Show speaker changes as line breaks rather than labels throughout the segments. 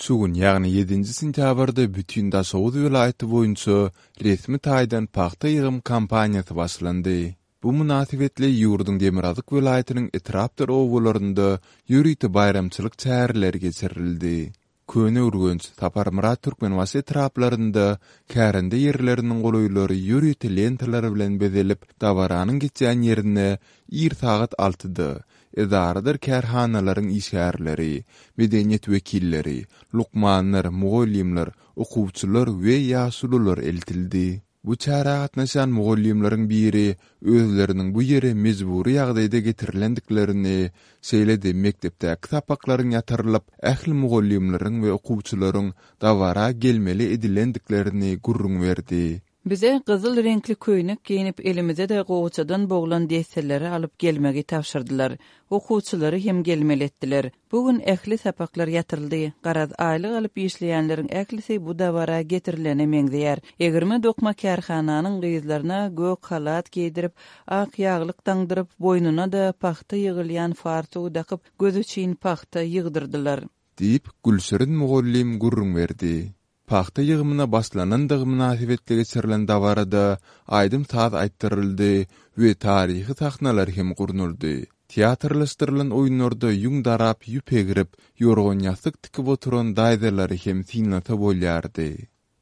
Şu gün, ýagny ýedinji sentýabrda bütin Daşoguz welaýaty boýunça resmi taýdan pagta ýygym kampaniýasy başlandy. Bu mynasybetli ýurduň demirgazyk welaýatynyň etrapdyr obalarynda ýörite baýramçylyk çäreleri geçirildi. Köneürgenç, Saparmyrat Türkmenbaşy etraplarynda kärende ýerleriniň golaýlary ýörite lentalar bilen bezelip, dabaranyň geçýän ýerine ir sagat altyda edaradyr kärhanalaryň işgärleri, medeniýet wekilleri, lukmanlar, mugallymlar, okuwçylar we ýaşulular eltildi. Bu çärä gatnaşan mugallymlaryň biri özleriniň bu ýere mejbury ýagdaýda getirilendiklerini, şeýle-de mekdepdäki sapaklaryň ýatyrylyp, ähli mugallymlaryň we okuwçylaryň dabara gelmeli edilendiklerini gürrüň berdi.
Bize gyzyl reňkli köýnek geýnip, elimize-de gowaçadan boglan desseleri alyp gelmegi tabşyrdylar. Okuwçylary hem gelmeli etdiler. Bu gün ähli sapaklar ýatyryldy. Garaz, aýlyk alyp işleýänleriň ählisi bu dabara getirilene meňzeýär. Egirme-dokma kärhananyň gyzlaryna gök halat geýdirip, ak ýaglyk daňdyryp, boýnuna-da pagta ýygylýan fartugy dakyp, göz üçin pagta ýygdyrdylar.
Diýip, Gülşirin mugallym gürrüň berdi. Pagta ýygymyna başlanandygy mynasybetli geçirilen dabarada aýdym-saz aýtdyryldy we taryhy sahnalar hem gurnaldy. Teatrlaşdyrylan oýunlarda ýüň darap, ýüp egrip, ýorgan-ýassyk tikip oturan daýzalary hem synlasa bolýardy.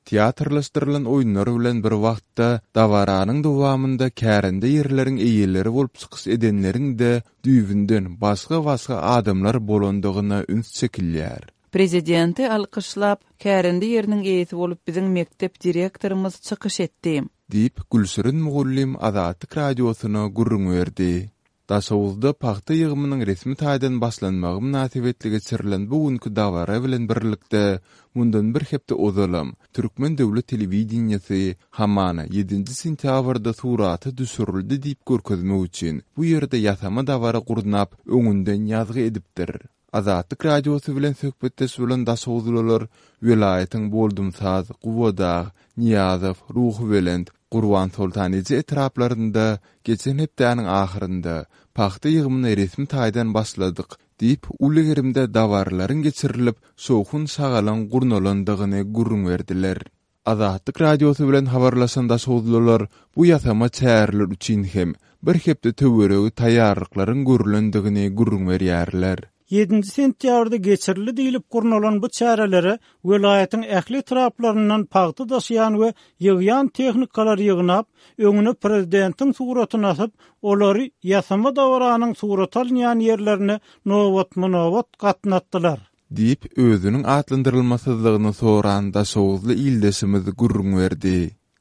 Teatrlaşdyrylan oýunlar bilen bir wagtda, dabaranyň dowamynda kärende ýerleriň eýeleri bolup çykyş edenleriň-de düýbünden başga-başga adamlar bolandygyna üns çekilýär.
Prezidenti alkyşlap, kärende ýeriniň eýesi bolup biziň mekdep direktorymyz çykyş etdi.
Diýip, Gülşirin mugallym Azatlyk Radiosyna gürrüň berdi. Daşoguzda pagta ýygymynyň resmi taýdan başlanmagy mynasybetli geçirilen bu günki dabara bilen birlikde, mundan bir hepde ozalam, türkmen döwlet telewideniýesi, hamana, ýedinji sentýabrda surata düşürildi diýip görkezmek üçin, bu ýerde ýasama dabara gurnap, öňünden ýazgy edipdir. Azatlyk Radiosy bilen söhbetdeş bolan daşoguzlylar welaýatyň Boldumsaz, Gubadag, Nyýazow, Ruhubelent, Gurbansoltan eje etraplarynda geçen hepdäniň ahyrynda pagta ýygymyna resmi taýdan başladyk diýip, uly gerimde dabaralaryň geçirilip, şowhun-şagalaň gurnalandygyny gürrüň berdiler. Azatlyk Radiosy bilen habarlaşan daşoguzlylar bu ýasama çäreler üçin hem bir hepde töweregi taýýarlyklaryň görlendigini gürrüň berýärler.
Ýedinji sentýabrda geçirildi diýlip gurnalan bu çärelere welaýatyň ähli etraplaryndan pagta daşaýan we ýygýan tehnikalary ýygnap, öňüne prezidentiň suratyny asyp, olary ýasama dabaranyň surata alynýan ýerlerine nobatma-nobat gatnatdylar.
Diýip, özüniň atlandyrylmasyzlygyny soran daşoguzly ildeşimiz gürrüň berdi.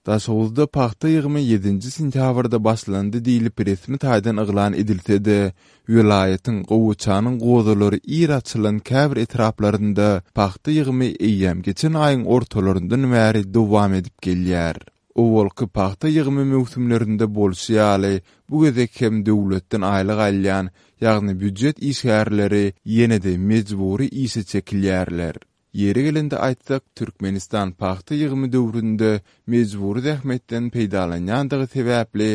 Daşoguzda pagta ýygymy ýedinji sentýabrda başlandy diýlip resmi taýdan yglan edilse-de, welaýatyň gowaçanyň gozalary ir açylan käbir etraplarynda pagta ýygymy eýýäm geçen aýyň ortalaryndan bäri dowam edip gelýär. Owalky pagta ýygymy möwsümlerinde bolşy ýaly, bu gezek hem döwletden aýlyk alýan, ýagny býujet işgärleri ýene-de mejbury işe çekilýärler. Ýeri gelende aýtsak, Türkmenistan pagta ýygymy döwründe mejbury zähmetden peýdalanýandygy sebäpli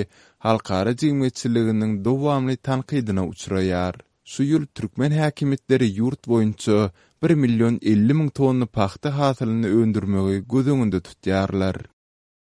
halkara jemgyýetçiliginiň dowamly tankydyna uçraýar. Şu ýyl türkmen häkimiýetleri ýurt boýunça bir million 50 müň tonna pagta hasylyny öndürmegi göz öňünde tutýarlar.